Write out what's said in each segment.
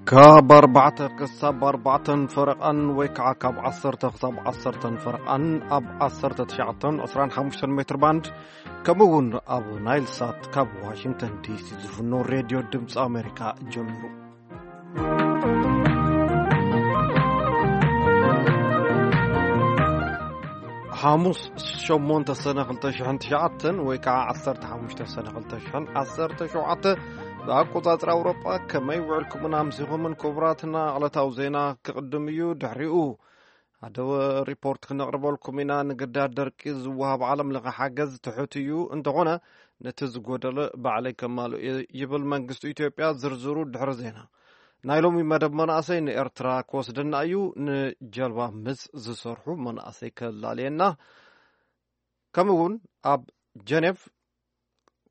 ካብ ኣርባዕተ ክሳብ ኣርባዕተን ፈረቓን ወይ ከዓ ካብ ዓሰርተ ክሳብ ዓሰርተን ፈረቓን ኣብ ዓሰርተ ትሽዓተን ዕስራን ሓሙሽተን ሜትር ባንድ፣ ከምኡ እውን ኣብ ናይል ሳት ካብ ዋሽንግተን ዲሲ ዝፍኖ ሬድዮ ድምፂ ኣሜሪካ ጀሚሩ። ሓሙስ ሸሞንተ ሰነ ክልተ ሽሕን ትሽዓተን ወይ ከዓ ዓሰርተ ሓሙሽተ ሰነ ክልተ ሽሕን ዓሰርተ ሸውዓተ ብኣቆጻጽራ ኣውሮጳ። ከመይ ውዕልኩምን ኣምሲኹምን ክቡራትና? ዕለታዊ ዜና ክቕድም እዩ። ድሕሪኡ ሓደ ሪፖርት ክነቕርበልኩም ኢና። ንግዳድ ደርቂ ዝወሃብ ዓለም ለኸ ሓገዝ ትሑት እዩ። እንተኾነ ነቲ ዝጎደለ ባዕለይ ከማልእ እየ ይብል መንግስቲ ኢትዮጵያ። ዝርዝሩ ድሕሪ ዜና። ናይ ሎሚ መደብ መናእሰይ ንኤርትራ ክወስደና እዩ። ንጀልባ ምስ ዝሰርሑ መናእሰይ ከላልየና። ከምኡ እውን ኣብ ጀኔቭ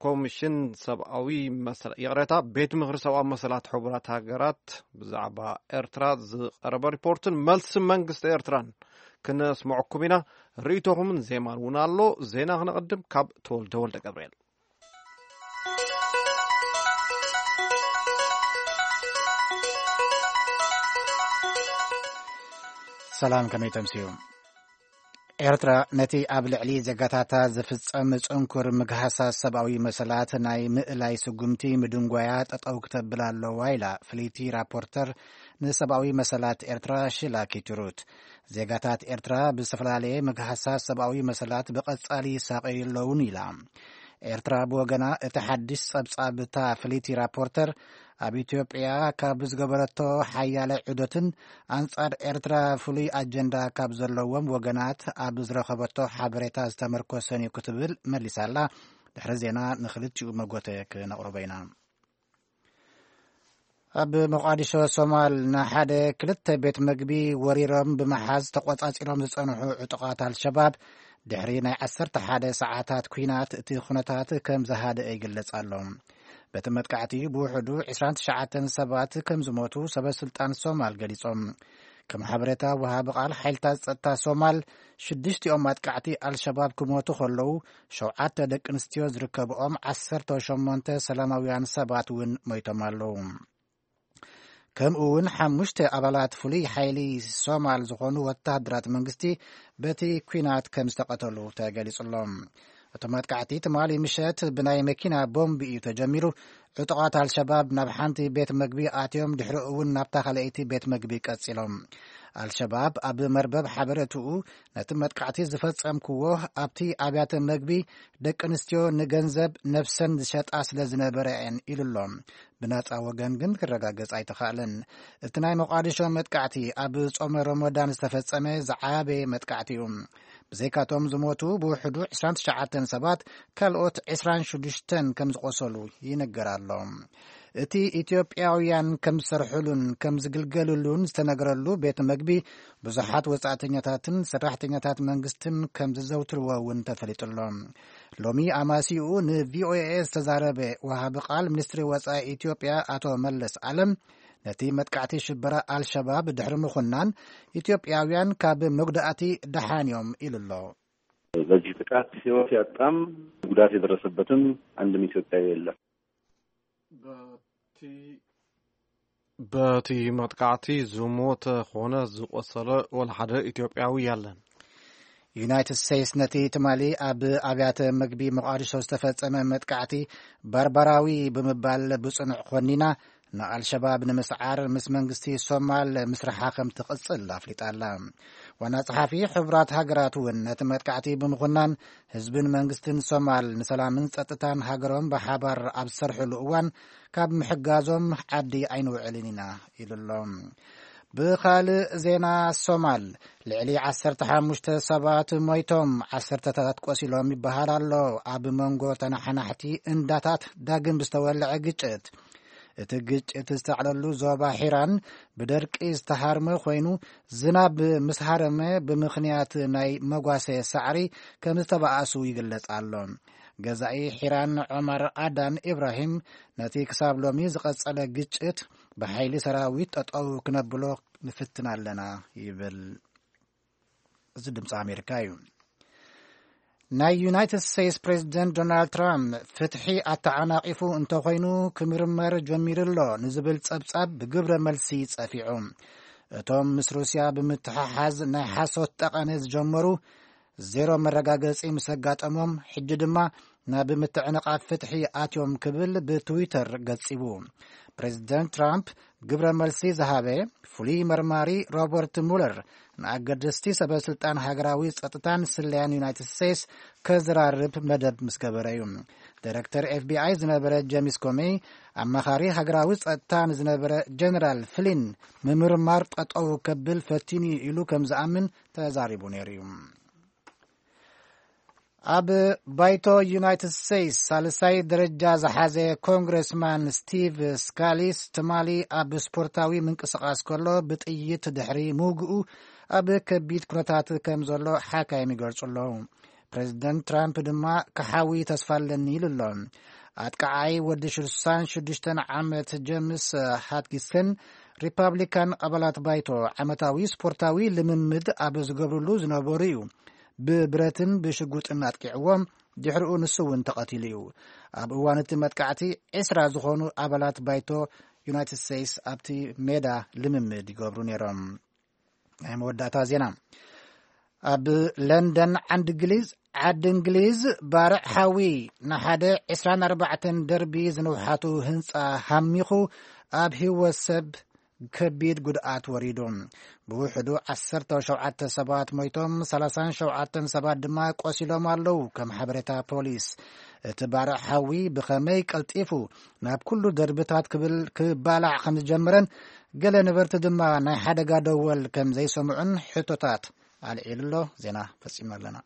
ኮሚሽን ሰብኣዊ መሰላ-፣ ይቕሬታ፣ ቤት ምኽሪ ሰብኣዊ መሰላት ሕቡራት ሃገራት ብዛዕባ ኤርትራ ዝቐረበ ሪፖርትን መልሲ መንግስቲ ኤርትራን ክነስምዐኩም ኢና። ርእይቶኹምን ዜማን እውን ኣሎ። ዜና ክነቐድም ካብ ተወልደ ወልደ ገብርኤል። ሰላም፣ ከመይ ተምስዩ? ኤርትራ ነቲ ኣብ ልዕሊ ዜጋታታ ዝፍጸም ጽንኩር ምግሃሳት ሰብኣዊ መሰላት ናይ ምእላይ ስጉምቲ ምድንጓያ ጠጠው ክተብል ኣለዋ ኢላ ፍልይቲ ራፖርተር ንሰብኣዊ መሰላት ኤርትራ ሽላ ኪትሩት። ዜጋታት ኤርትራ ብዝተፈላለየ ምግሃሳት ሰብኣዊ መሰላት ብቐጻሊ ይሳቐዩ ኣለውን ኢላ። ኤርትራ ብወገና እቲ ሓድሽ ጸብጻብ እታ ፍልይቲ ራፖርተር ኣብ ኢትዮጵያ ካብ ዝገበረቶ ሓያለ ዑደትን ኣንጻር ኤርትራ ፍሉይ ኣጀንዳ ካብ ዘለዎም ወገናት ኣብ ዝረኸበቶ ሓበሬታ ዝተመርኮሰን እዩ ክትብል መሊሳላ። ድሕሪ ዜና ንኽልቲኡ መጎተ ክነቕርቦ ኢና። ኣብ መቋዲሾ ሶማል ንሓደ ክልተ ቤት መግቢ ወሪሮም ብምሓዝ ተቖጻጺሮም ዝጸንሑ ዕጡቓት ኣልሸባብ ድሕሪ ናይ ዓሰርተ ሓደ ሰዓታት ኲናት እቲ ኩነታት ከም ዝሃደአ ይግለጽ ኣሎ። በቲ መጥቃዕቲ ብውሕዱ ዕስራን ትሽዓተን ሰባት ከም ዝሞቱ ሰበ ስልጣን ሶማል ገሊጾም። ከም ሓበሬታ ወሃቢ ቃል ሓይልታት ጸጥታ ሶማል፣ ሽዱሽቲኦም ኣጥቃዕቲ ኣልሸባብ ክሞቱ ከለዉ፣ ሸውዓተ ደቂ ኣንስትዮ ዝርከብኦም ዓሰርተ ሸሞንተ ሰላማውያን ሰባት እውን ሞይቶም ኣለዉ። ከምኡ እውን ሓሙሽተ ኣባላት ፍሉይ ሓይሊ ሶማል ዝኾኑ ወታደራት መንግስቲ በቲ ኲናት ከም ዝተቐተሉ ተገሊጹ ኣሎ። እቶም ኣጥቃዕቲ ትማሊ ምሸት ብናይ መኪና ቦምብ እዩ ተጀሚሩ። ዕጡቓት ኣልሸባብ ናብ ሓንቲ ቤት መግቢ ኣትዮም፣ ድሕሪኡ እውን ናብታ ካልኣይቲ ቤት መግቢ ቀጺሎም። ኣልሸባብ ኣብ መርበብ ሓበሬትኡ ነቲ መጥቃዕቲ ዝፈጸምክዎ ኣብቲ ኣብያተ መግቢ ደቂ ኣንስትዮ ንገንዘብ ነብሰን ዝሸጣ ስለ ዝነበረ እየን ኢሉ ኣሎ። ብናጻ ወገን ግን ክረጋገጽ ኣይተኻእለን። እቲ ናይ ሞቃዲሾ መጥቃዕቲ ኣብ ጾመ ረመዳን ዝተፈጸመ ዝዓበየ መጥቃዕቲ እዩ። ብዘይካቶም ዝሞቱ ብውሕዱ ዕስራን ትሽዓተን ሰባት፣ ካልኦት ዕስራን ሽዱሽተን ከም ዝቖሰሉ ይንገር ኣሎ። እቲ ኢትዮጵያውያን ከም ዝሰርሕሉን ከም ዝግልገልሉን ዝተነገረሉ ቤት መግቢ ብዙሓት ወጻእተኛታትን ሰራሕተኛታት መንግስትን ከም ዝዘውትርዎ እውን ተፈሊጡ ኣሎ። ሎሚ ኣማሲኡ ን ቪ ኦ ኤ ዝተዛረበ ወሃቢ ቃል ሚኒስትሪ ወጻኢ ኢትዮጵያ ኣቶ መለስ ኣለም፣ ነቲ መጥቃዕቲ ሽበራ ኣልሸባብ ድሕሪ ምኹናን፣ ኢትዮጵያውያን ካብ መጉዳእቲ ደሓን እዮም ኢሉ ኣሎ። በዚህ ጥቃት ህይወት ያጣም ጉዳት የደረሰበትም አንድም ኢትዮጵያዊ የለም። በቲ፣ በቲ መጥቃዕቲ ዝሞተ ኾነ ዝቆሰለ ወላ ሓደ ኢትዮጵያዊ የለን። ዩናይትድ ስቴትስ ነቲ ትማሊ ኣብ ኣብያተ ምግቢ ሞቃዲሾ ዝተፈጸመ መጥቃዕቲ ባርባራዊ ብምባል ብጽኑዕ ኮኒና፣ ንኣልሸባብ ንምስዓር ምስ መንግስቲ ሶማል ምስርሓ ከም ትቕጽል ኣፍሊጣ ኣላ። ዋና ጸሓፊ ሕቡራት ሃገራት እውን ነቲ መጥቃዕቲ ብምኹናን፣ ህዝብን መንግስትን ሶማል ንሰላምን ጸጥታን ሃገሮም ብሓባር ኣብ ዝሰርሕሉ እዋን ካብ ምሕጋዞም ዓዲ ኣይንውዕልን ኢና ኢሉ ኣሎ። ብኻልእ ዜና፣ ሶማል ልዕሊ ዓሰርተ ሓሙሽተ ሰባት ሞይቶም፣ ዓሰርተታት ቆሲሎም ይበሃል ኣሎ። ኣብ መንጎ ተነሓናሕቲ እንዳታት ዳግም ብዝተወለዐ ግጭት፣ እቲ ግጭት ዝተዕለሉ ዞባ ሒራን ብደርቂ ዝተሃርመ ኮይኑ፣ ዝናብ ምስ ሃረመ ብምኽንያት ናይ መጓሰ ሳዕሪ ከም ዝተባኣሱ ይግለጽ ኣሎ። ገዛኢ ሒራን ዑመር ኣዳን ኢብራሂም፣ ነቲ ክሳብ ሎሚ ዝቐጸለ ግጭት ብሓይሊ ሰራዊት ጠጠው ክነብሎ ንፍትን ኣለና ይብል። እዚ ድምፂ ኣሜሪካ እዩ። ናይ ዩናይትድ ስቴትስ ፕሬዚደንት ዶናልድ ትራምፕ ፍትሒ ኣተዓናቒፉ እንተኾይኑ ክምርመር ጀሚሩ ኣሎ ንዝብል ጸብጻብ ብግብረ መልሲ ጸፊዑ። እቶም ምስ ሩስያ ብምትሕሓዝ ናይ ሓሶት ጠቐነ ዝጀመሩ ዜሮ መረጋገጺ ምስ ኣጋጠሞም፣ ሕጂ ድማ ናብ ምትዕንቓፍ ፍትሒ ኣትዮም ክብል ብትዊተር ገጺቡ። ፕሬዚደንት ትራምፕ ግብረ መልሲ ዝሃበ ፍሉይ መርማሪ ሮበርት ሙለር ንኣገደስቲ ሰበ ስልጣን ሃገራዊ ጸጥታን ስለያን ዩናይትድ ስቴትስ ከዘራርብ መደብ ምስ ገበረ እዩ። ዳይሬክተር ኤፍቢኣይ ዝነበረ ጄምስ ኮሜይ፣ ኣማኻሪ ሃገራዊ ጸጥታ ንዝነበረ ጀነራል ፍሊን ምምርማር ጠጠው ከብል ፈቲኑ ኢሉ ከም ዝኣምን ተዛሪቡ ነይሩ እዩ። ኣብ ባይቶ ዩናይትድ ስቴትስ ሳልሳይ ደረጃ ዝሓዘ ኮንግረስማን ስቲቭ ስካሊስ ትማሊ ኣብ ስፖርታዊ ምንቅስቓስ ከሎ ብጥይት ድሕሪ ምውግኡ ኣብ ከቢድ ኩነታት ከም ዘሎ ሓካይም ይገልጹ ኣለዉ። ፕሬዚደንት ትራምፕ ድማ ክሓዊ ተስፋ ኣለኒ ኢሉ ኣሎ። ኣጥቃዓይ ወዲ ሽዱሽተ ዓመት ጀምስ ሃትኪንሰን ሪፓብሊካን ኣባላት ባይቶ ዓመታዊ ስፖርታዊ ልምምድ ኣብ ዝገብርሉ ዝነበሩ እዩ ብብረትን ብሽጉጥን ኣጥቂዕዎም። ድሕሪኡ ንሱ እውን ተቐቲሉ እዩ። ኣብ እዋን እቲ መጥቃዕቲ ዕስራ ዝኾኑ ኣባላት ባይቶ ዩናይትድ ስቴትስ ኣብቲ ሜዳ ልምምድ ይገብሩ ነይሮም። ናይ መወዳእታ ዜና። ኣብ ለንደን ዓንዲ እንግሊዝ ዓዲ እንግሊዝ ባርዕ ሓዊ ንሓደ ዕስራን ኣርባዕተን ደርቢ ዝንውሓቱ ህንፃ ሃሚኹ ኣብ ህይወት ሰብ ከቢድ ጉድኣት ወሪዱ። ብውሕዱ ዓሰርተ ሸውዓተ ሰባት ሞይቶም፣ ሰላሳን ሸውዓተን ሰባት ድማ ቆሲሎም ኣለዉ። ከም ሓበሬታ ፖሊስ፣ እቲ ባርዕ ሓዊ ብኸመይ ቀልጢፉ ናብ ኩሉ ደርብታት ክብል ክባላዕ ከም ዝጀመረን ገለ ነበርቲ ድማ ናይ ሓደጋ ደወል ከም ዘይሰምዑን ሕቶታት ኣልዒሉ ኣሎ። ዜና ፈጺምና ኣለና።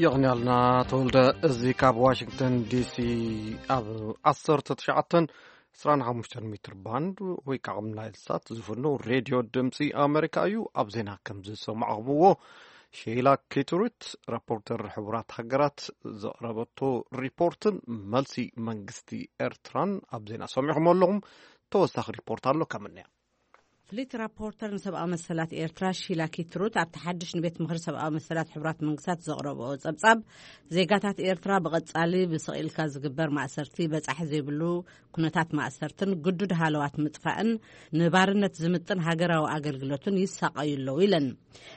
የቕንያልና ተወልደ። እዚ ካብ ዋሽንግተን ዲሲ ኣብ ዓሰርተ ትሽዓተን ዕስራን ሓሙሽተን ሜትር ባንድ ወይ ከዓ ኣብ ናይል ሳት ዝፍኖ ሬድዮ ድምፂ ኣሜሪካ እዩ። ኣብ ዜና ከም ዝሰማዕኹምዎ፣ ሼላ ኬቱሪት፣ ረፖርተር ሕቡራት ሃገራት፣ ዘቕረበቶ ሪፖርትን መልሲ መንግስቲ ኤርትራን ኣብ ዜና ሰሚዕኹም ኣለኹም። ተወሳኺ ሪፖርት ኣሎ ከምንያ። ፍሊት ራፖርተር ንሰብኣዊ መሰላት ኤርትራ ሺላ ኪትሩት ኣብቲ ሓድሽ ንቤት ምኽሪ ሰብኣዊ መሰላት ሕቡራት መንግስታት ዘቕረብኦ ጸብጻብ፣ ዜጋታት ኤርትራ ብቐጻሊ ብስቕ ኢልካ ዝግበር ማእሰርቲ፣ በጻሒ ዘይብሉ ኩነታት ማእሰርትን ግዱድ ሃለዋት ምጥፋእን ንባርነት ዝምጥን ሃገራዊ ኣገልግሎትን ይሳቐዩ ኣለዉ ኢለን።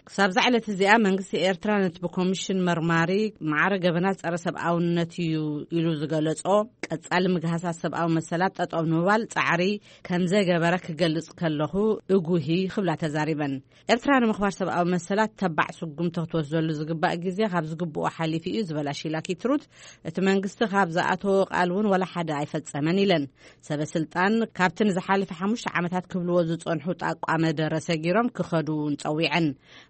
ክሳብዛ ዕለት እዚኣ መንግስቲ ኤርትራ ነቲ ብኮሚሽን መርማሪ ማዕረ ገበናት ጸረ ሰብኣውነት እዩ ኢሉ ዝገለጾ ቀጻሊ ምግሃሳት ሰብኣዊ መሰላት ጠጠው ንምባል ጻዕሪ ከም ዘገበረ ክገልጽ ከለኹ እጉሂ ክብላ ተዛሪበን። ኤርትራ ንምኽባር ሰብኣዊ መሰላት ተባዕ ስጉምቲ ክትወስደሉ ዝግባእ ግዜ ካብ ዝግብኦ ሓሊፉ እዩ ዝበላ ሺላ ኪትሩት፣ እቲ መንግስቲ ካብ ዝኣተዎ ቃል እውን ዋላ ሓደ ኣይፈጸመን ኢለን። ሰበ ስልጣን ካብቲ ንዝሓለፈ ሓሙሽተ ዓመታት ክብልዎ ዝጸንሑ ጣቋ መደረ ሰጊሮም ክኸዱ እውን ጸዊዐን።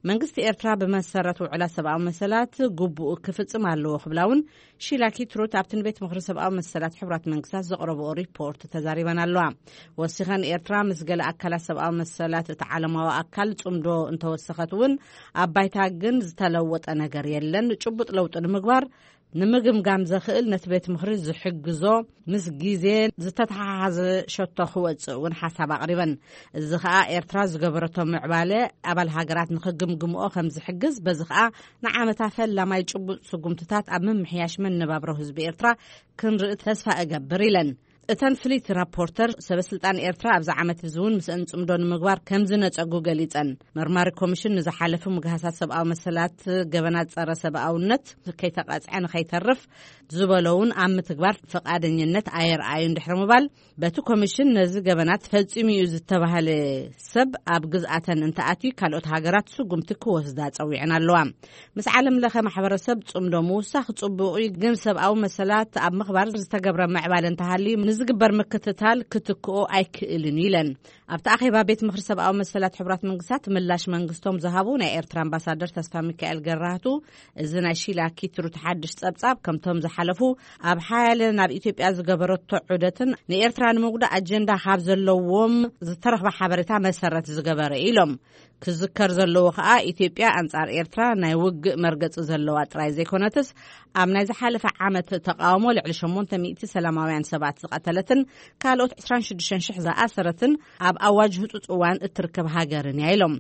መንግስቲ ኤርትራ ብመሰረት ውዕላት ሰብኣዊ መሰላት ግቡኡ ክፍጽም ኣለዎ ክብላ እውን ሺላ ኪትሩት ኣብቲ ንቤት ምኽሪ ሰብኣዊ መሰላት ሕቡራት መንግስታት ዘቕረብኦ ሪፖርት ተዛሪበን ኣለዋ። ወሲኸን ኤርትራ ምስ ገለ ኣካላት ሰብኣዊ መሰላት እቲ ዓለማዊ ኣካል ጽምዶ እንተወሰኸት እውን ኣብ ባይታ ግን ዝተለወጠ ነገር የለን። ጭቡጥ ለውጢ ንምግባር ንምግምጋም ዘኽእል ነቲ ቤት ምኽሪ ዝሕግዞ ምስ ግዜ ዝተተሓሓዘ ሸቶ ክወጽእ እውን ሓሳብ ኣቕሪበን። እዚ ኸኣ ኤርትራ ዝገበረቶ ምዕባለ ኣባል ሃገራት ንኽግምግምኦ ከም ዝሕግዝ፣ በዚ ኸኣ ንዓመታ ፈላማይ ጭቡጥ ስጉምትታት ኣብ ምምሕያሽ መነባብሮ ህዝቢ ኤርትራ ክንርኢ ተስፋ እገብር ኢለን። እተን ፍሊት ራፖርተር ሰበ ስልጣን ኤርትራ ኣብዚ ዓመት እዚ እውን ምስአን ጽምዶ ንምግባር ከም ዝነጸጉ ገሊጸን። መርማሪ ኮሚሽን ንዝሓለፉ ምግሃሳት ሰብኣዊ መሰላት ገበናት ጸረ ሰብኣውነት ከይተቐጽዐ ንኸይተርፍ ዝበሎ እውን ኣብ ምትግባር ፈቓደኝነት ኣየርኣዩን ድሕሪ ምባል፣ በቲ ኮሚሽን ነዚ ገበናት ፈጺሙ እዩ ዝተባህለ ሰብ ኣብ ግዝኣተን እንተኣትዩ ካልኦት ሃገራት ስጉምቲ ክወስዳ ጸዊዐን ኣለዋ። ምስ ዓለም ለኸ ማሕበረሰብ ጽምዶ ምውሳኽ ጽቡቕ እዩ፣ ግን ሰብኣዊ መሰላት ኣብ ምኽባር ዝተገብረ ምዕባለ እንተሃልዩ ንዝግበር ምክትታል ክትክኦ ኣይክእልን እዩ ኢለን። ኣብቲ ኣኼባ ቤት ምኽሪ ሰብኣዊ መሰላት ሕቡራት መንግስታት ምላሽ መንግስቶም ዝሃቡ ናይ ኤርትራ ኣምባሳደር ተስፋ ሚካኤል ገራህቱ፣ እዚ ናይ ሺላ ኪትሩት ሓድሽ ጸብጻብ ከምቶም ዝሓለፉ ኣብ ሓያለ ናብ ኢትዮጵያ ዝገበረቶ ዑደትን ንኤርትራ ንምጉዳእ ኣጀንዳ ካብ ዘለዎም ዝተረኽበ ሓበሬታ መሰረት ዝገበረ ኢሎም። ክዝከር ዘለዎ ከኣ ኢትዮጵያ ኣንጻር ኤርትራ ናይ ውግእ መርገጺ ዘለዋ ጥራይ ዘይኮነትስ ኣብ ናይ ዝሓለፈ ዓመት ተቃውሞ ልዕሊ ሸሞንተ ሚእቲ ሰላማውያን ሰባት ዝቐተለት ዘኸለትን ካልኦት ዕስራን ሽዱሽተን ሽሕ ዝኣሰረትን ኣብ ኣዋጅ ህጹጽ እዋን እትርከብ ሃገርን እያ ኢሎም።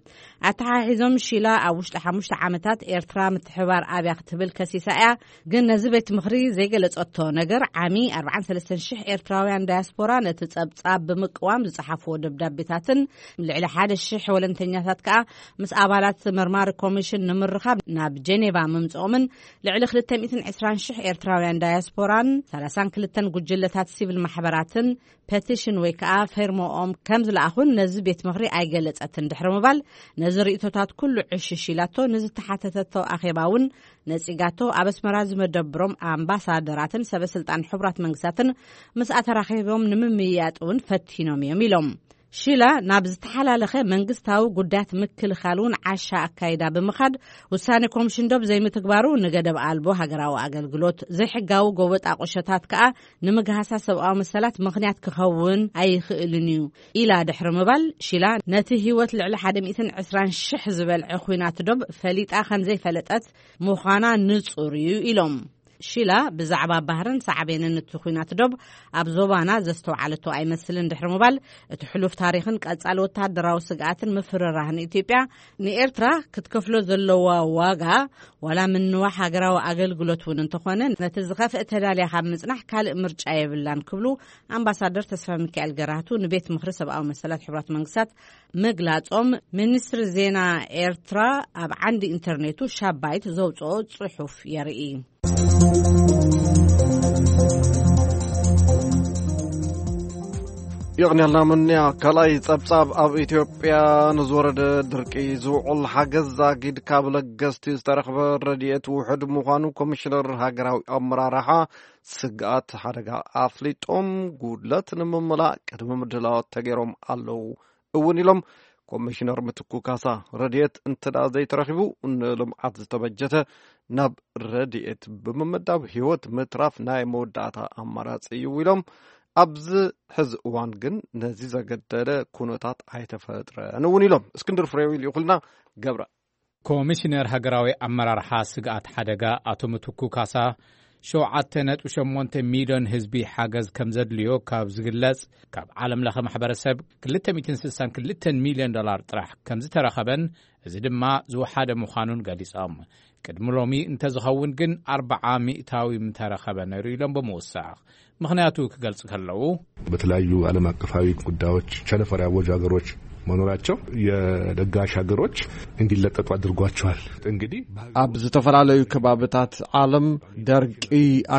ኣተሓሒዞም ሺላ ኣብ ውሽጢ ሓሙሽተ ዓመታት ኤርትራ ምትሕባር ኣብያ ክትብል ከሲሳ እያ። ግን ነዚ ቤት ምኽሪ ዘይገለጸቶ ነገር ዓሚ ኣርባዓን ሰለስተን ሽሕ ኤርትራውያን ዳያስፖራ ነቲ ጸብጻብ ብምቅዋም ዝጸሓፍዎ ደብዳቤታትን ልዕሊ ሓደ ሽሕ ወለንተኛታት ከኣ ምስ ኣባላት መርማሪ ኮሚሽን ንምርኻብ ናብ ጀኔቫ ምምጽኦምን ልዕሊ ክልተ ሚእትን ዕስራን ሽሕ ኤርትራውያን ዳያስፖራን ሰላሳን ክልተን ጉጅለታት ሲቪል ማሕበራትን ፐቲሽን ወይ ከኣ ፌርሞኦም ከም ዝለኣኹን ነዚ ቤት ምኽሪ ኣይገለጸትን ድሕሪ ምባል፣ ነዚ ርእይቶታት ኩሉ ዕሽሽ ኢላቶ፣ ንዝተሓተተቶ ኣኼባ እውን ነጺጋቶ። ኣብ ኣስመራ ዝመደብሮም ኣምባሳደራትን ሰበ ስልጣን ሕቡራት መንግስታትን ምስ ኣተራኺቦም ንምምይያጥ እውን ፈቲኖም እዮም ኢሎም። ሺላ ናብ ዝተሓላለኸ መንግስታዊ ጉዳያት ምክልኻል እውን ዓሻ ኣካይዳ ብምኻድ፣ ውሳኔ ኮሚሽን ዶብ ዘይምትግባሩ ንገደብ ኣልቦ ሃገራዊ ኣገልግሎት፣ ዘይሕጋዊ ጎበጣ ቁሸታት ከኣ ንምግሃሳ ሰብኣዊ መሰላት ምኽንያት ክኸውን ኣይኽእልን እዩ ኢላ ድሕሪ ምባል፣ ሺላ ነቲ ህይወት ልዕሊ ሓደ ሚእትን ዕስራን ሽሕ ዝበልዐ ኲናት ዶብ ፈሊጣ ከም ዘይፈለጠት ምዃና ንጹር እዩ ኢሎም። ሺላ ብዛዕባ ባህርን ሳዕቤንን እቲ ኲናት ዶብ ኣብ ዞባና ዘስተውዓለቶ ኣይመስልን ድሕሪ ምባል፣ እቲ ሕሉፍ ታሪኽን ቀጻሊ ወተሃደራዊ ስግኣትን ምፍርራህን ኢትዮጵያ ንኤርትራ ክትከፍሎ ዘለዋ ዋጋ፣ ዋላ ምንዋሕ ሃገራዊ ኣገልግሎት እውን እንተኾነ፣ ነቲ ዝኸፍእ ተዳልያ ካብ ምጽናሕ ካልእ ምርጫ የብላን ክብሉ ኣምባሳደር ተስፋ ሚካኤል ገራህቱ ንቤት ምኽሪ ሰብኣዊ መሰላት ሕቡራት መንግስታት ምግላጾም፣ ሚኒስትሪ ዜና ኤርትራ ኣብ ዓንዲ ኢንተርኔቱ ሻባይት ዘውጽኦ ጽሑፍ የርኢ። የቕንያልና ምንያ። ካልኣይ ጸብጻብ፣ ኣብ ኢትዮጵያ ንዝወረደ ድርቂ ዝውዕል ሓገዝ ዛጊድ ካብ ለገስቲ ዝተረኽበ ረድኤት ውሑድ ምዃኑ ኮሚሽነር ሃገራዊ ኣመራርሓ ስግኣት ሓደጋ ኣፍሊጦም፣ ጉድለት ንምምላእ ቅድሚ ምድላዋት ተገይሮም ኣለዉ እውን ኢሎም። ኮሚሽነር ምትኩ ካሳ፣ ረድኤት እንተ ደኣ ዘይተረኺቡ፣ ንልምዓት ዝተበጀተ ናብ ረድኤት ብምምዳብ ህይወት ምትራፍ ናይ መወዳእታ ኣማራጺ እዩ ኢሎም። ኣብዚ ሕዚ እዋን ግን ነዚ ዘገደደ ኩነታት ኣይተፈጥረን እውን ኢሎም። እስክንድር ፍሬው ልኢኹልና። ገብረ። ኮሚሽነር ሃገራዊ ኣመራርሓ ስግኣት ሓደጋ ኣቶ ምትኩ ካሳ፣ ሸውዓተ ነጥቢ ሸሞንተ ሚልዮን ህዝቢ ሓገዝ ከም ዘድልዮ ካብ ዝግለጽ፣ ካብ ዓለም ለኸ ማሕበረሰብ ክልተ ሚእትን ስሳን ክልተን ሚልዮን ዶላር ጥራሕ ከም ዝተረኸበን፣ እዚ ድማ ዝወሓደ ምዃኑን ገሊጾም። ቅድሚ ሎሚ እንተዝኸውን ግን ኣርብዓ ሚእታዊ ምተረኸበ ነይሩ ኢሎም ብምውሳኽ፣ ምኽንያቱ ክገልጹ ከለዉ፣ በተለያዩ ዓለም አቀፋዊ ጉዳዮች ቸነፈር ያወጁ ሀገሮች መኖራቸው የለጋሽ ሀገሮች እንዲለቀቁ አድርጓቸዋል። እንግዲህ ኣብ ዝተፈላለዩ ከባብታት ዓለም ደርቂ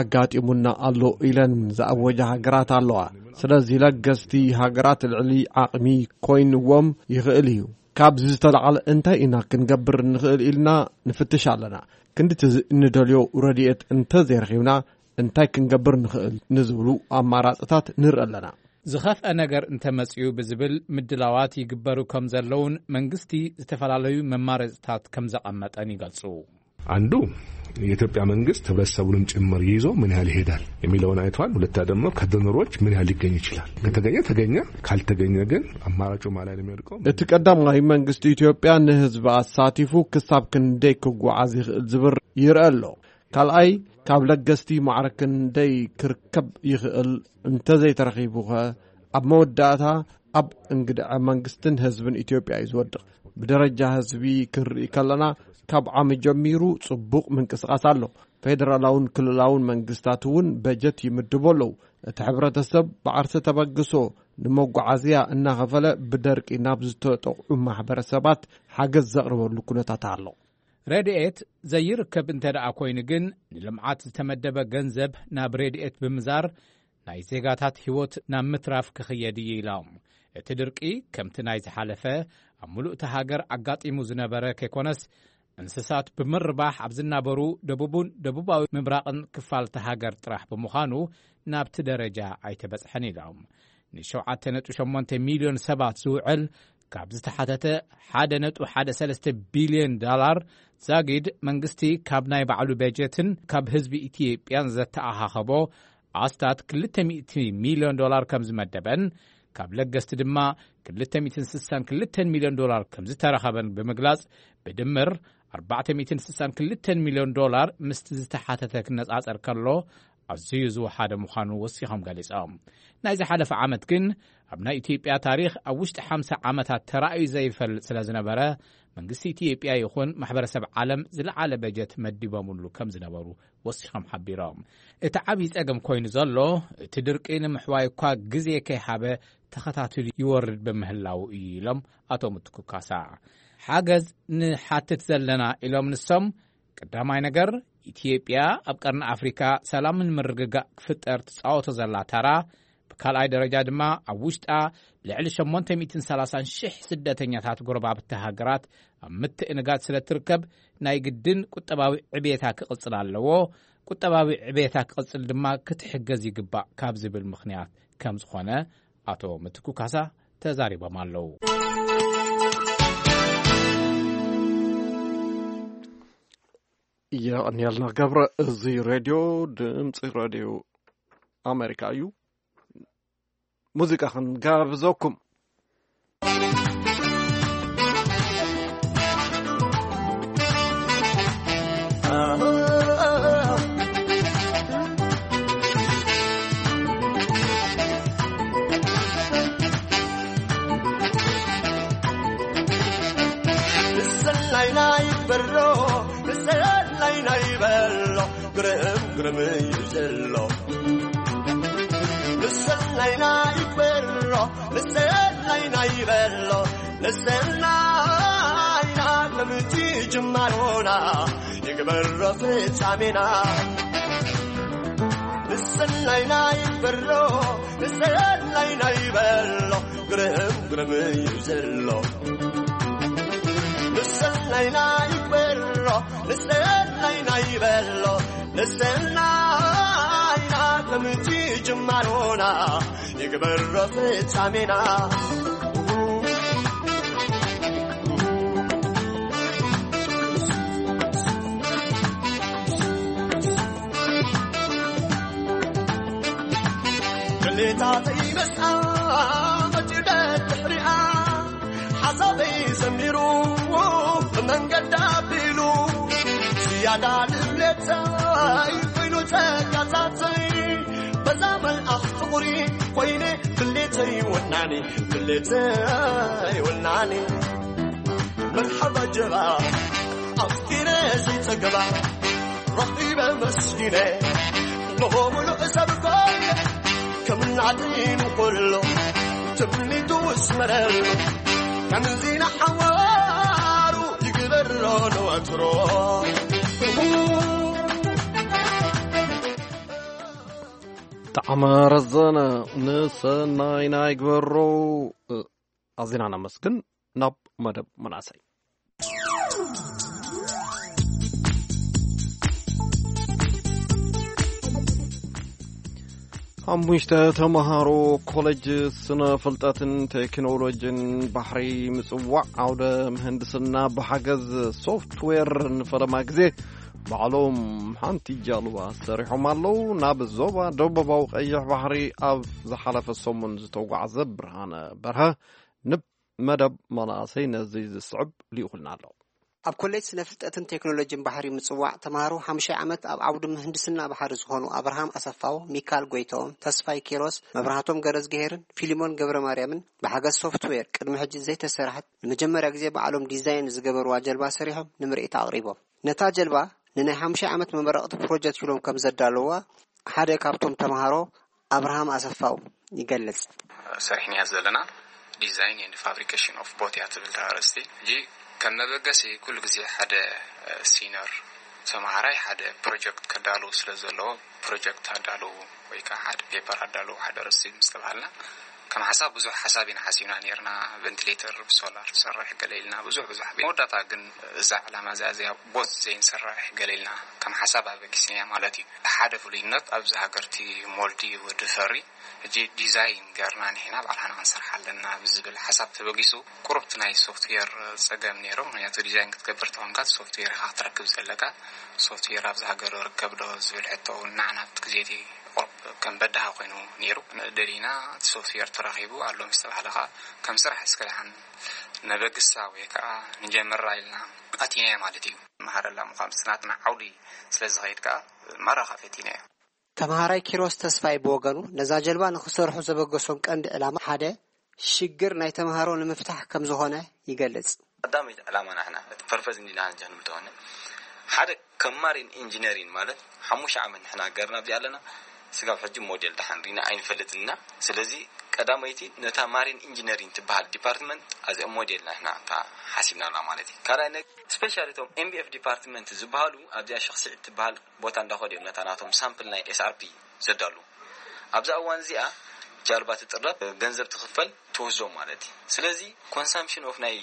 ኣጋጢሙና ኣሎ ኢለን ዝኣወጃ ሃገራት ኣለዋ። ስለዚ ለገስቲ ሃገራት ልዕሊ ዓቕሚ ኮይንዎም ይኽእል እዩ። ካብዚ ዝተላዕለ እንታይ ኢና ክንገብር ንኽእል ኢልና ንፍትሽ ኣለና። ክንድቲ እንደልዮ ረድኤት እንተዘይረኺብና እንታይ ክንገብር ንኽእል ንዝብሉ ኣማራፅታት ንርኢ ኣለና። ዝኸፍአ ነገር እንተመፅኡ ብዝብል ምድላዋት ይግበሩ ከም ዘለውን መንግስቲ ዝተፈላለዩ መማረፅታት ከም ዘቐመጠን ይገልፁ። አንዱ የኢትዮጵያ መንግስት ህብረተሰቡንም ጭምር ይዞ ምን ያህል ይሄዳል የሚለውን አይቷል። ሁለታ ደግሞ ከዶነሮች ምን ያህል ሊገኝ ይችላል። ከተገኘ ተገኘ፣ ካልተገኘ ግን አማራጩ ማን ላይ ነው የሚወድቀው? እቲ ቀዳማይ መንግስቲ ኢትዮጵያ ንህዝቢ ኣሳቲፉ ክሳብ ክንደይ ክጓዓዝ ይኽእል ዝብል ይርአ ኣሎ። ካልኣይ ካብ ለገስቲ ማዕረ ክንደይ ክርከብ ይኽእል እንተዘይተረኺቡኸ ኣብ መወዳእታ ኣብ እንግድዐ መንግስትን ህዝብን ኢትዮጵያ እዩ ዝወድቕ። ብደረጃ ህዝቢ ክንርኢ ከለና ካብ ዓሚ ጀሚሩ ጽቡቕ ምንቅስቓስ ኣሎ። ፌደራላውን ክልላውን መንግስታት እውን በጀት ይምድቡ ኣለዉ። እቲ ሕብረተሰብ ብዓርሰ ተበግሶ ንመጓዓዝያ እናኸፈለ ብደርቂ ናብ ዝተጠቕዑ ማሕበረሰባት ሓገዝ ዘቕርበሉ ኩነታት ኣሎ። ረድኤት ዘይርከብ እንተ ደኣ ኮይኑ ግን፣ ንልምዓት ዝተመደበ ገንዘብ ናብ ረድኤት ብምዛር ናይ ዜጋታት ህይወት ናብ ምትራፍ ክኽየድ እዩ ኢሎም። እቲ ድርቂ ከምቲ ናይ ዝሓለፈ ኣብ ምሉእ እታ ሃገር ኣጋጢሙ ዝነበረ ከይኮነስ፣ እንስሳት ብምርባሕ ኣብ ዝናበሩ ደቡብን ደቡባዊ ምብራቕን ክፋል እታ ሃገር ጥራሕ ብምዃኑ ናብቲ ደረጃ ኣይተበጽሐን ኢሎም። ን7.8 ሚልዮን ሰባት ዝውዕል ካብ ዝተሓተተ ሓደ ነጥቢ ሓደ ሰለስተ ቢልዮን ዶላር ዛጊድ መንግስቲ ካብ ናይ ባዕሉ በጀትን ካብ ህዝቢ ኢትዮጵያን ዘተኣኻኸቦ ኣስታት ክልተ ሚእቲ ሚልዮን ዶላር ከም ዝመደበን ካብ ለገስቲ ድማ ክልተ ሚእትን ስሳን ክልተን ሚልዮን ዶላር ከም ዝተረኸበን ብምግላጽ ብድምር ኣርባዕተ ሚእትን ስሳን ክልተን ሚልዮን ዶላር ምስቲ ዝተሓተተ ክነጻጸር ከሎ ኣዝዩ ዝወሓደ ምዃኑ ወሲኾም ገሊጾም። ናይ ዝሓለፈ ዓመት ግን ኣብ ናይ ኢትዮጵያ ታሪኽ ኣብ ውሽጢ ሓምሳ ዓመታት ተራእዩ ዘይፈልጥ ስለ ዝነበረ፣ መንግስቲ ኢትዮጵያ ይኹን ማሕበረሰብ ዓለም ዝለዓለ በጀት መዲቦምሉ ከም ዝነበሩ ወሲኾም ሓቢሮም። እቲ ዓብዪ ጸገም ኮይኑ ዘሎ፣ እቲ ድርቂ ንምሕዋይ እኳ ግዜ ከይሃበ ተኸታቲሉ ይወርድ ብምህላዉ እዩ ኢሎም ኣቶ ምትኩ ካሳ። ሓገዝ ንሓትት ዘለና ኢሎም ንሶም፣ ቀዳማይ ነገር፣ ኢትዮጵያ ኣብ ቀርኒ ኣፍሪካ ሰላምን ምርግጋእ ክፍጠር ትጻወቶ ዘላ ታራ፣ ብካልኣይ ደረጃ ድማ ኣብ ውሽጣ ልዕሊ ሸሞንተ ሚእትን ሰላሳን ሽሕ ስደተኛታት ጎረባብቲ ሃገራት ኣብ ምትእንጋድ ስለ ትርከብ፣ ናይ ግድን ቁጠባዊ ዕቤታ ክቕጽል ኣለዎ። ቁጠባዊ ዕቤታ ክቕጽል ድማ ክትሕገዝ ይግባእ ካብ ዝብል ምኽንያት ከም ዝኾነ ኣቶ ምትኩ ካሳ ተዛሪቦም ኣለዉ። የቐንየልና ገብረ። እዚ ሬድዮ ድምፂ ሬድዮ ኣሜሪካ እዩ። ሙዚቃ ክንጋብዘኩም። ንሰላይና ይበሎ ንሰላይና ይበሎ ግርም ግርም እዩ ዘሎ ንሰላይና ይበሎ ንሰላይና ይበሎ ንሰላይና ከምቲ ጅማሮና ይግበሮ ፍጻሜና ንሰላይና ይበሎ ንሰላይና ይበሎ ግርም ግርም እዩ ዘሎ ንሰላይና ይበሎ ንሰላይና ይበሎ ንሰላይና ከምቲ ጅማሮና ይግበሮ ፍጻሜና ድሌታተይ መስኣ መጺኡ ደድሕሪኣ ሓሳበይ ሰሚሩ ብመንገዳ ኣቢሉ ዝያዳ ድሌተይ ኮይኑ ጸጋታተይ በዛ መልኣኽ ፍቕሪ ኮይነ ድሌተይ ወናኒ ድሌተይ ወናኒ መርሓባ ጀባ ኣፍቂረ ዘይጸገባ ረኺበ መስኪነ ንሆ ምሉእ ሰብ ኮይነ ከም ናተይ ንኹሎ ትምኒቱ ስመረሉ ከምዚ ንሓዋሩ ይግበሮ ንወትሮ ጣዕመ ረዘነ ንሰናይና ይግበሮ። ኣዚና ነመስግን። ናብ መደብ መናእሰይ ሓሙሽተ ተምሃሮ ኮሌጅ ስነ ፍልጠትን ቴክኖሎጂን ባሕሪ ምጽዋዕ ዓውደ ምህንድስና ብሓገዝ ሶፍትዌር ንፈለማ ግዜ ባዕሎም ሓንቲ ጃልባ ሰሪሖም ኣለዉ። ናብ ዞባ ደቡባዊ ቀይሕ ባሕሪ ኣብ ዝሓለፈ ሰሙን ዝተጓዕዘ ብርሃነ በርሀ ንብ መደብ መናእሰይ ነዚ ዝስዕብ ልኢኹልና ኣሎ። ኣብ ኮሌጅ ስነ ፍልጠትን ቴክኖሎጂን ባሕሪ ምጽዋዕ ተምሃሮ ሓሙሻይ ዓመት ኣብ ዓውዲ ምህንድስና ባሕሪ ዝኾኑ ኣብርሃም ኣሰፋው፣ ሚካል ጎይተኦም፣ ተስፋይ ኪሮስ፣ መብራህቶም ገረዝግሄርን ፊሊሞን ገብረ ማርያምን ብሓገዝ ሶፍትዌር ቅድሚ ሕጂ ዘይተሰርሐት ንመጀመርያ ግዜ ባዕሎም ዲዛይን ዝገበርዋ ጀልባ ሰሪሖም ንምርኢት ኣቕሪቦም። ነታ ጀልባ ንናይ ሓሙሻይ ዓመት መመረቕቲ ፕሮጀክት ኢሎም ከም ዘዳለውዋ ሓደ ካብቶም ተምሃሮ ኣብርሃም ኣሰፋው ይገልጽ። ሰሪሕናያ ዘለና Design and Fabrication of Boat እያ ትብል እታ ኣርእስቲ። ሕጂ ከም መበገሲ ኩሉ ግዜ ሓደ ሲነር ተምሃራይ ሓደ ፕሮጀክት ከዳልው ስለ ዘለዎ ፕሮጀክት ኣዳልው ወይ ከዓ ሓደ ፔፐር ኣዳልው ሓደ ኣርእስቲ ምስ ተባሃልና ከም ሓሳብ ብዙሕ ሓሳብ ኢና ሓሲብና ነርና። ቨንቲሌተር ብሶላር ንሰርሕ ገለ ኢልና ብዙሕ ብዙሕ መወዳእታ ግን እዛ ዕላማ እዚኣ እዚኣ ቦት ዘይንሰርሕ ገለ ኢልና ከም ሓሳብ ኣበጊስናያ ማለት እዩ። ሓደ ፍሉይነት ኣብዚ ሃገር እቲ ሞልዲ ወዲ ፈሪ ሕጂ ዲዛይን ገርና ንሕና ባዕልና ክንሰርሕ ኣለና ብዝብል ሓሳብ ተበጊሱ ቁሩብ እቲ ናይ ሶፍትዌር ጸገም ነይሩ። ምክንያቱ ዲዛይን ክትገብር ተኾንካ እቲ ሶፍትዌር ኢኻ ክትረክብ ዘለካ። ሶፍትዌር ኣብዚ ሃገር ርከብ ዶ ዝብል ሕቶ እውን ንዓና ኣብቲ ግዜ እቲ ቁሩብ ከም በዳሂ ኮይኑ ነይሩ። ደሊና እቲ ሶፍትዌር ተረኺቡ ኣሎ ምስ ተባህለ ከዓ ከም ስራሕ እስከ ደሓን ነበግሳ ወይ ከዓ ንጀምራ ኢልና ኣቲናዮ ማለት እዩ። መሃረላ ምዃን ናትና ዓውዲ ስለ ዝኸይድ ከዓ ማራ ከዓ ፈቲናዮ። ተምሃራይ ኪሮስ ተስፋይ ብወገኑ፣ ነዛ ጀልባ ንኽሰርሑ ዘበገሶም ቀንዲ ዕላማ ሓደ ሽግር ናይ ተምሃሮ ንምፍታሕ ከም ዝኾነ ይገልጽ። ቀዳመይቲ ዕላማ ናሕና፣ እቲ ፐርፐዝ እንዲና ንጃ ንምተወነ፣ ሓደ ከም ማሪን ኢንጂነሪን ማለት ሓሙሽተ ዓመት ንሕና ሃገርና ኣብዚኣ ኣለና። ስጋብ ሕጂ ሞዴል ደሓን ሪና ኣይንፈልጥን ኢና። ስለዚ ቀዳመይቲ ነታ ማሪን ኢንጂነሪን ትበሃል ዲፓርትመንት ኣዚኣ ሞዴል ናሕና እታ ሓሲብናላ ማለት እዩ። ካልኣይ ነገር ስፔሻሊ እቶም ኤምቢኤፍ ዲፓርትመንት ዝበሃሉ ኣብዚኣ ሸኽሲዕ ትበሃል ቦታ እንዳኸዱ እዮም ነታ ናቶም ሳምፕል ናይ ኤስኣርፒ ዘዳሉ። ኣብዛ እዋን እዚኣ ጃልባ ትጥረብ፣ ገንዘብ ትኽፈል፣ ትወስዶ ማለት እዩ። ስለዚ ኮንሳምፕሽን ኦፍ ናይ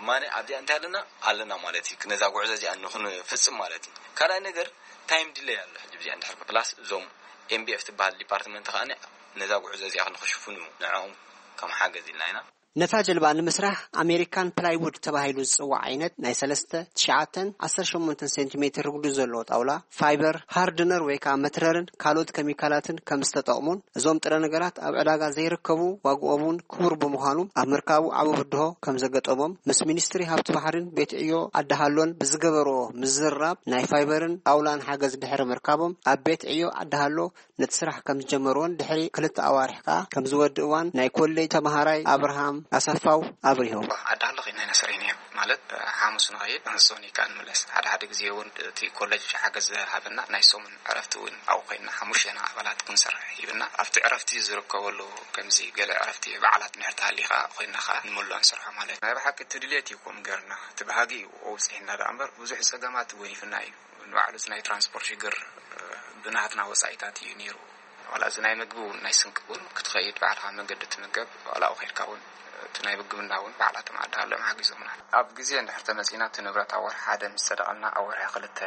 ማነ ኣብዚኣ እንታይ ኣለና ኣለና ማለት እዩ። ነዛ ጉዕዞ እዚኣ ንኽንፍጽም ማለት እዩ። ካልኣይ ነገር ታይም ዲለይ ኣሎ። ሕጂ እዚኣ እንድሕር ፕላስ እዞም ኤምቢኤፍ ትበሃል ዲፓርትመንት ከኣ ነዛ ጉዕዞ እዚኣ ንኽሽፍኑ ንዕኦም ከም ሓገዝ ኢልና ኢና። ነታ ጀልባ ንምስራሕ ኣሜሪካን ፕላይውድ ተባሂሉ ዝጽዋዕ ዓይነት ናይ ሰለስተ፣ ትሽዓተን ዓሰርተ ሸሞንተን ሴንቲሜትር ርጉዲ ዘለዎ ጣውላ፣ ፋይበር፣ ሃርድነር ወይ ከዓ መትረርን ካልኦት ኬሚካላትን ከም ዝተጠቕሙን እዞም ጥረ ነገራት ኣብ ዕዳጋ ዘይርከቡ ዋግኦም እውን ክቡር ብምዃኑ ኣብ ምርካቡ ዓቢ ብድሆ ከም ዘገጠሞም ምስ ሚኒስትሪ ሃብቲ ባሕሪን ቤት ዕዮ ዓዲ ሃሎን ብዝገበርዎ ምዝርራብ ናይ ፋይበርን ጣውላን ሓገዝ ድሕሪ ምርካቦም ኣብ ቤት ዕዮ ዓዲ ሃሎ ነቲ ስራሕ ከም ዝጀመርዎን ድሕሪ ክልተ ኣዋርሕ ከኣ ከም ዝወድእዋን ናይ ኮሌጅ ተምሃራይ ኣብርሃም ኣሰፋው ኣብሪሁ። ዓዲ ሃሎ ኸይድና ኢና ሰሪሕና እዮም። ማለት ሓሙስ ንኸይድ ንሶኒ ከኣ ንምለስ። ሓደ ሓደ ግዜ እውን እቲ ኮሌጅ ሓገዝ ሃበና ናይ ሰሙን ዕረፍቲ እውን ኣብኡ ኮይንና ሓሙሽተና ኣባላት ክንሰርሕ ሂብና። ኣብቲ ዕረፍቲ ዝርከበሉ ከምዚ ገለ ዕረፍቲ በዓላት እንድሕር ተሃልዩ ከኣ ኮይንና ከኣ ንመልኦ ንሰርሖ ማለት እዩ። ናይ ብሓቂ እቲ ድሌት እዩ ከምኡ ገርና። እቲ ባህጊ እዩ ኣውፅሒና ደኣ እምበር ብዙሕ ፀገማት ጎኒፍና እዩ። ንባዕሉ እቲ ናይ ትራንስፖርት ሽግር ብናትና ወፃኢታት እዩ ነይሩ። ዋላ እዚ ናይ ምግቢ እውን ናይ ስንቂ እውን ክትኸይድ ባዕልኻ መንገዲ ትምገብ፣ ዋላ ኣብኡ ከይድካ እውን እቲ ናይ ምግብና እውን ባዕላቶም ዓዲ ሃሎም ሓጊዞምና። ኣብ ግዜ እንድሕር ተመጺና እቲ ንብረት ኣብ ወርሒ ሓደ ምስ ሰደቐልና ኣብ ወርሒ ክልተ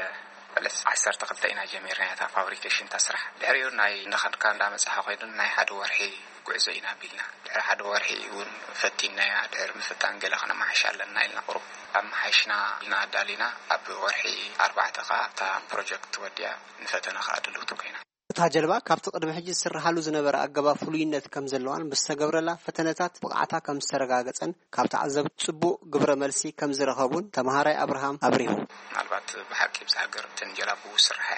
ዕለት ዓሰርተ ክልተ ኢና ጀሚርና እታ ፋብሪኬሽን እታ ስራሕ። ድሕሪኡ ናይ እንዳኸድካ እንዳመጻኻ ኮይዱ ናይ ሓደ ወርሒ ጉዕዞ ኢና ኣቢልና። ድሕሪ ሓደ ወርሒ እውን ፈቲንናያ። ድሕሪ ምፍታን ገለ ከነመሓይሽ ኣለና ኢልና ቁሩብ ኣመሓይሽና ኢልና ኣዳሊና። ኣብ ወርሒ ኣርባዕተ ከኣ እታ ፕሮጀክት ወዲኣ ንፈተነ ከኣ ድልውቲ ኮይና። እታ ጀልባ ካብቲ ቅድሚ ሕጂ ዝስርሓሉ ዝነበረ ኣገባብ ፍሉይነት ከም ዘለዋን ብዝተገብረላ ፈተነታት ብቕዓታ ከም ዝተረጋገጸን ካብ ተዓዘብቲ ጽቡቕ ግብረ መልሲ ከም ዝረኸቡን ተምሃራይ ኣብርሃም ኣብሪሁ። ምናልባት ብሓቂ ብዛ ሃገር እተን ጀላቡ ስርሓ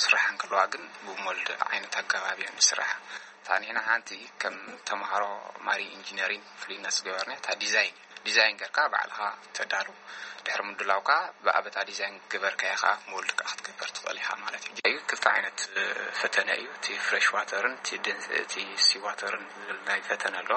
ስርሓ እንከለዋ ግን ብሞልድ ዓይነት ኣገባብ እየን ዝስርሓ። እታ ንሕና ሓንቲ ከም ተምሃሮ ማሪ ኢንጂነሪንግ ፍሉይነት ዝገበርና እታ ዲዛይን እዩ። ዲዛይን ጌርካ ባዕልኻ ተዳሉ። ድሕሪ ምድላውካ ብኣበታ ዲዛይን ገበርካዮ ከኣ ሞልድ ከኣ ክትገብር ትኽእል ኢኻ ማለት እዩ። እዩ ክልተ ዓይነት ፈተነ እዩ። እቲ ፍሬሽ ዋተርን እቲ ደን-፣ እቲ ሲ ዋተርን ዝብል ናይ ፈተነ ኣሎ።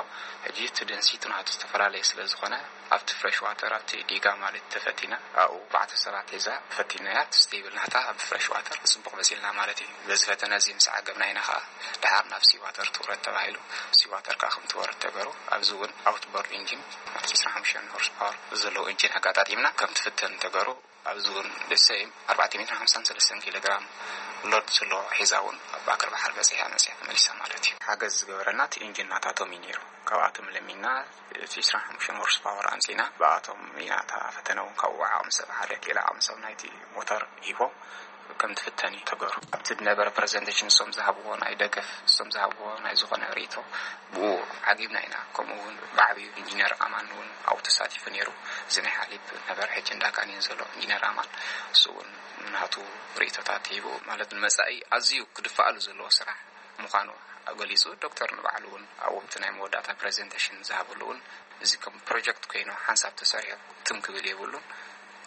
ሕጂ እቲ ደንሲቲ ናቱ ዝተፈላለየ ስለ ዝኾነ ኣብቲ ፍሬሽ ዋተር ኣብቲ ዲጋ ማለት ተፈቲና ኣብኡ ኣርባዕተ ሰባት ሒዛ ፈቲናያ። እቲ ስቴብል ናታ ኣብ ፍሬሽ ዋተር ጽቡቕ መጺልና ማለት እዩ። በዚ ፈተነ እዚ ምስ ዓገብና ኢና ከኣ ደሓር ናብ ሲዋተር ትውረድ ተባሂሉ። ሲዋተር ከኣ ከም ትወርድ ተገሩ። ኣብዚ እውን ኣውትቦርድ ኢንጂን ማለት ዕስራን ሓሙሽተን ሆርስ ፓወር ዘለዎ ኢንጂን ኣጋጣጢምና ከም ትፍተን ተገሩ። ኣብዚ እውን ደሰይም ኣርባዕተ ሚእትን ሓምሳን ሰለስተን ኪሎ ግራም ሎድ ዘለዎ ሒዛ እውን ኣብ ኣክር ባሕር በጺሓ መጺኣ ተመሊሳ ማለት እዩ። ሓገዝ ዝገበረና እቲ ኢንጂን ናታቶም እዩ ነይሩ። ካብኣቶም ለሚና እቲ ዕስራን ሓሙሽተን ሆርስ ፓወር ኣምጺና ብኣቶም ኢና እታ ፈተነ እውን ካብኡ ዓቕሚ ሰብ ሓደ ኪሎ ዓቕሚ ሰብ ናይቲ ሞተር ሂቦም ከም ትፍተን እዩ ተገሩ። ኣብቲ ዝነበረ ፕሬዘንቴሽን እሶም ዝሃብዎ ናይ ደገፍ፣ እሶም ዝሃብዎ ናይ ዝኾነ ርእይቶ ብኡ ዓጊብና ኢና። ከምኡ እውን ብዓብዩ ኢንጂነር ኣማን እውን ኣብኡ ተሳቲፉ ነይሩ። እዚ ናይ ሓሊብ ነበረ፣ ሕጂ እንዳ ካኒን ዘሎ ኢንጂነር ኣማን እሱ እውን ናቱ ርእይቶታት ሂቡ። ማለት ንመጻኢ ኣዝዩ ክድፋኣሉ ዘለዎ ስራሕ ምዃኑ ገሊጹ። ዶክተር ንባዕሉ እውን ኣብኡ እቲ ናይ መወዳእታ ፕሬዘንቴሽን ዝሃበሉ እውን እዚ ከም ፕሮጀክት ኮይኑ ሓንሳብ ተሰሪሑ ትም ክብል የብሉን፣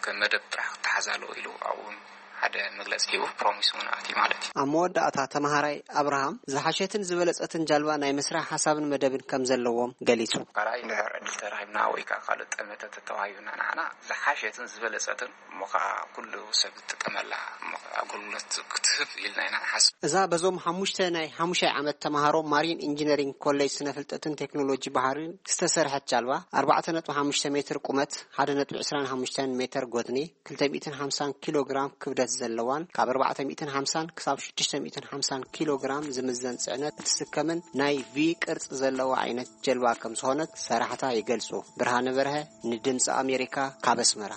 ከም መደብ ጥራሕ ክተሓዝ ኣለዎ ኢሉ ኣብኡ እውን ሓደ መግለጺ ሂቡ ፕሮሚስ እውን ኣትዩ ማለት እዩ። ኣብ መወዳእታ ተምሃራይ ኣብርሃም ዝሓሸትን ዝበለጸትን ጃልባ ናይ ምስራሕ ሓሳብን መደብን ከም ዘለዎም ገሊጹ። ካልኣይ እንድሕር ዕድል ተረኺብና ወይ ከዓ ካልእ ጠመተ ተተዋሂቡና ንዓና ዝሓሸትን ዝበለጸትን እሞ ከዓ ኩሉ ሰብ ዝጥቀመላ እሞ ከዓ ኣገልግሎት ክትህብ ኢልና ኢና ንሓስብ። እዛ በዞም ሓሙሽተ ናይ ሓሙሻይ ዓመት ተምሃሮ ማሪን ኢንጂነሪንግ ኮሌጅ ስነ ፍልጠትን ቴክኖሎጂ ባሕሪን ዝተሰርሐት ጃልባ ኣርባዕተ ነጥቢ ሓሙሽተ ሜትር ቁመት፣ ሓደ ነጥቢ ዕስራን ሓሙሽተን ሜትር ጎድኒ፣ ክልተ ሚእትን ሓምሳን ኪሎ ግራም ክብደት ዘለዋን ካብ ኣርባዕተ ሚእትን ሓምሳን ክሳብ ሽዱሽተ ሚእትን ሓምሳን ኪሎ ግራም ዝምዘን ጽዕነት እትስከምን ናይ ቪ ቅርጺ ዘለዋ ዓይነት ጀልባ ከም ዝኾነት ሰራሕታ ይገልጹ። ብርሃነ በርሀ ንድምጺ ኣሜሪካ ካብ ኣስመራ።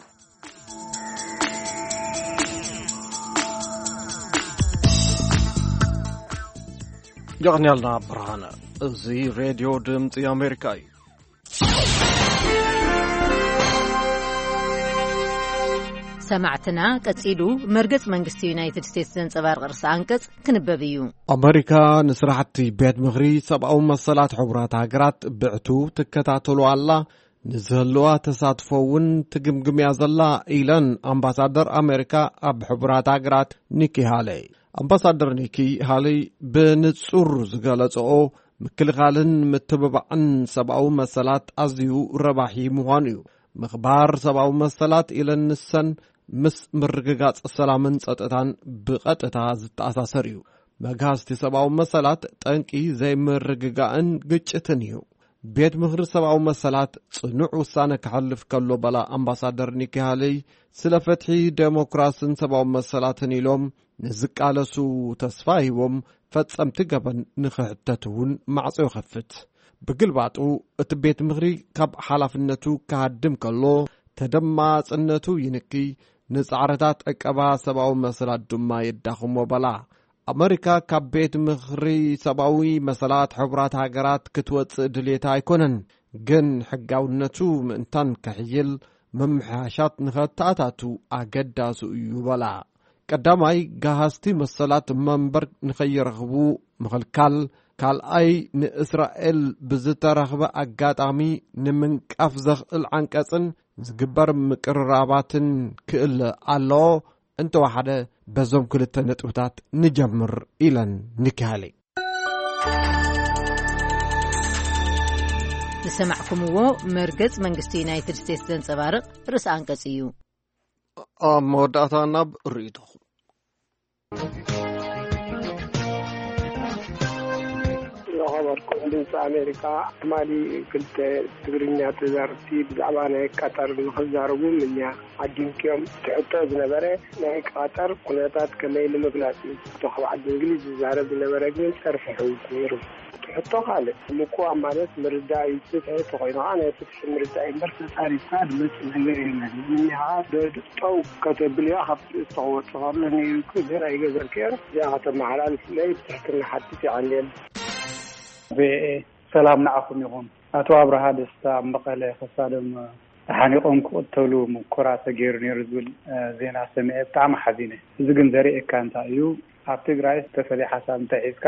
የቐንያልና ብርሃነ። እዚ ሬድዮ ድምፂ ኣሜሪካ እዩ። ሰማዕትና፣ ቀጺሉ መርገጽ መንግስቲ ዩናይትድ ስቴትስ ዘንጸባርቕ ርእሰ ኣንቀጽ ክንበብ እዩ። ኣመሪካ ንስራሕቲ ቤት ምኽሪ ሰብኣዊ መሰላት ሕቡራት ሃገራት ብዕቱ ትከታተሎ ኣላ፣ ንዝህልዋ ተሳትፎ እውን ትግምግም እያ ዘላ፣ ኢለን ኣምባሳደር ኣመሪካ ኣብ ሕቡራት ሃገራት ኒኪ ሃለይ። ኣምባሳደር ኒኪ ሃለይ ብንጹር ዝገለጸኦ፣ ምክልኻልን ምትብባዕን ሰብኣዊ መሰላት ኣዝዩ ረባሒ ምዃኑ እዩ። ምኽባር ሰብኣዊ መሰላት ኢለን ንሰን ምስ ምርግጋጽ ሰላምን ጸጥታን ብቐጥታ ዝተኣሳሰር እዩ። መግሃስቲ ሰብኣዊ መሰላት ጠንቂ ዘይምርግጋእን ግጭትን እዩ። ቤት ምኽሪ ሰብኣዊ መሰላት ጽኑዕ ውሳነ ከሕልፍ ከሎ በላ ኣምባሳደር ኒኪ ሃለይ፣ ስለ ፍትሒ፣ ደሞክራስን ሰብኣዊ መሰላትን ኢሎም ንዝቃለሱ ተስፋ ሂቦም ፈጸምቲ ገበን ንኽሕተቱ እውን ማዕጾ ይኸፍት። ብግልባጡ እቲ ቤት ምኽሪ ካብ ሓላፍነቱ ክሃድም ከሎ ተደማጽነቱ ይንኪ፣ ንጻዕርታት ዕቀባ ሰብኣዊ መሰላት ድማ የዳኽሞ በላ። ኣመሪካ ካብ ቤት ምኽሪ ሰብኣዊ መሰላት ሕቡራት ሃገራት ክትወጽእ ድልየታ ኣይኮነን፣ ግን ሕጋውነቱ ምእንታን ከሕይል ምምሕያሻት ንኸተኣታቱ ኣገዳሱ እዩ በላ። ቀዳማይ፣ ገሃስቲ መሰላት መንበር ንኸይረኽቡ ምኽልካል፣ ካልኣይ፣ ንእስራኤል ብዝተረኽበ ኣጋጣሚ ንምንቃፍ ዘኽእል ዓንቀጽን ዝግበር ምቅርራባትን ክእለ ኣለዎ። እንተወሓደ በዞም ክልተ ነጥብታት ንጀምር፣ ኢለን ኒኪ ሃሊ። ዝሰማዕኩምዎ መርገጽ መንግስቲ ዩናይትድ ስቴትስ ዘንጸባርቕ ርእሰ ኣንቀጽ እዩ። ኣብ መወዳእታ ናብ ርእይቶኹም። ዝኸበርኩም ድምፂ ኣሜሪካ፣ ትማሊ ክልተ ትግርኛ ተዛረብቲ ብዛዕባ ናይ ቀጠር ንኽዛረቡ ምንያ ዓዲምክዮም። እቲ ሕቶ ዝነበረ ናይ ቀጠር ኩነታት ከመይ ንምግላፅ እዩ። እቲ ካብ ዓዲ እንግሊዝ ዝዛረብ ዝነበረ ግን ፀርፊ ሕውስ ነይሩ። እቲ ሕቶ ካልእ፣ ምቁዋም ማለት ምርዳእ እዩ። ፍትሒ ተኾይኑ ከዓ ናይ ፍትሒ ምርዳእ እዩ እምበር፣ ተፃሪፍካ ዝመፅእ ነገር የለን። ምንያ ከዓ ዶ-፣ ጠው ከተብልዮ ካብ ትእዝቶ ክወጽእ ከሎ ነይሩ እኮ፣ ግን ኣይገበርክዮን። እዚኣ ከተመሓላልፍለይ ብትሕትና ሓትት። ይቐንየለይ። ቪኦኤ፣ ሰላም ንዓኹም ይኹን። ኣቶ ኣብርሃ ደስታ ኣብ መቐለ ከሳዶም ተሓኒቖም ክቕተሉ ሙከራ ተገይሩ ነይሩ ዝብል፣ እ፣ ዜና ሰሚዐ ብጣዕሚ ሓዚነ። እዚ ግን ዘርእየካ እንታይ እዩ? ኣብ ትግራይ ዝተፈለየ ሓሳብ እንተሒዝካ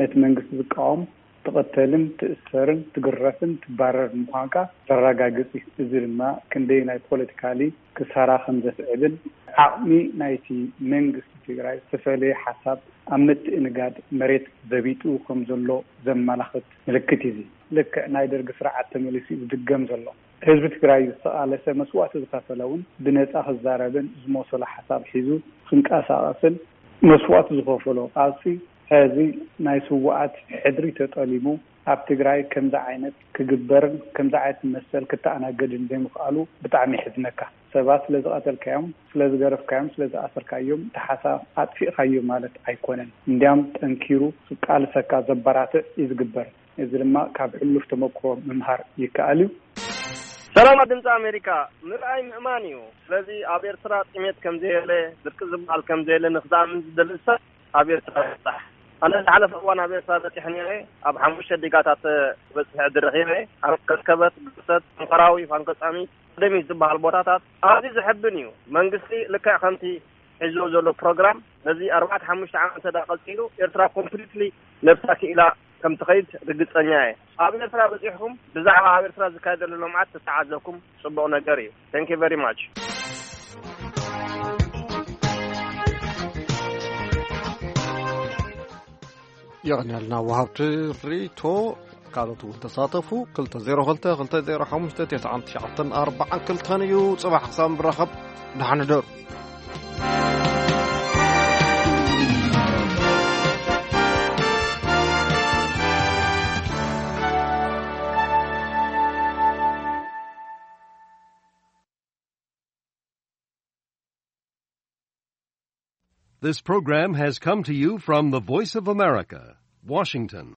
ነቲ መንግስቲ ዝቃወም ትቕተልን ትእሰርን ትግረፍን ትባረርን ምዃንካ ዘረጋግጽ እዩ። እዚ ድማ ክንደይ ናይ ፖለቲካሊ ክሳራ ከም ዘስዕብን ዓቕሚ ናይቲ መንግስቲ ትግራይ ዝተፈለየ ሓሳብ ኣብ ምትእንጋድ መሬት ዘቢጡ ከም ዘሎ ዘመላኽት ምልክት እዩ። እዚ ልክዕ ናይ ደርጊ ስርዓት ተመሊሱ እዩ ዝድገም ዘሎ። ህዝቢ ትግራይ ዝተቓለሰ መስዋእቲ ዝኸፈለ እውን ብነጻ ክዛረብን ዝመሰሎ ሓሳብ ሒዙ ክንቀሳቐስን መስዋእቲ ዝኸፈሎ ቃልሲ፣ ሕዚ ናይ ስውኣት ሕድሪ ተጠሊሙ ኣብ ትግራይ ከምዚ ዓይነት ክግበርን ከምዚ ዓይነት መሰል ክተኣናገድን ዘይምኽኣሉ ብጣዕሚ የሕዝነካ። ሰባት ስለ ዝቐተልካዮም፣ ስለ ዝገረፍካዮም፣ ስለ ዝኣሰርካዮም እቲ ሓሳብ ኣጥፊእካዮ ማለት ኣይኮነን። እንዲያም ጠንኪሩ ክቃልሰካ ዘበራትዕ እዩ ዝግበር። እዚ ድማ ካብ ሕሉፍ ተመክሮ ምምሃር ይከኣል እዩ። ሰላም ድምፂ ኣሜሪካ፣ ምርኣይ ምእማን እዩ። ስለዚ ኣብ ኤርትራ ጥሜት ከም ዘየለ፣ ድርቂ ዝበሃል ከም ዘየለ ንክዝኣምን ዝደሊ ሰብ ኣብ ኤርትራ ይብጻሕ። ኣነ ዝሓለፈ እዋን ኣብ ኤርትራ በጺሐ ነይረ። ኣብ ሓሙሽተ ዲጋታት በጺሐ ዕድል ረኺበ። ኣብ ከርከበት፣ ግርሰት፣ መንኮራዊ፣ ፋንኮጻሚ፣ ደሚ ዝበሃል ቦታታት ኣዝዩ ዘሐብን እዩ። መንግስቲ ልክዕ ከምቲ ሒዝዎ ዘሎ ፕሮግራም ነዚ ኣርባዕተ ሓሙሽተ ዓመት እንተ ደኣ ቀጺሉ፣ ኤርትራ ኮምፕሊትሊ ነብሳ ክኢላ ከም ትኸይድ ርግጸኛ እየ። ኣብ ኤርትራ በጺሕኩም ብዛዕባ ኣብ ኤርትራ ዝካየድ ዘሎ ልምዓት ተተዓዘብኩም፣ ጽቡቕ ነገር እዩ። Thank you very much። የቐንየልና ወሃብቲ ርእይቶ። ካልኦት እውን ተሳተፉ። ክልተ ዜሮ ክልተ፣ ክልተ ዜሮ ሓሙሽተ፣ ትስዓን ትሽዓተን ኣርባዓን ክልተን እዩ። ጽባሕ ክሳብ ንራኸብ፣ ደሓን ሕደሩ። This program has come to you from the Voice of America, Washington.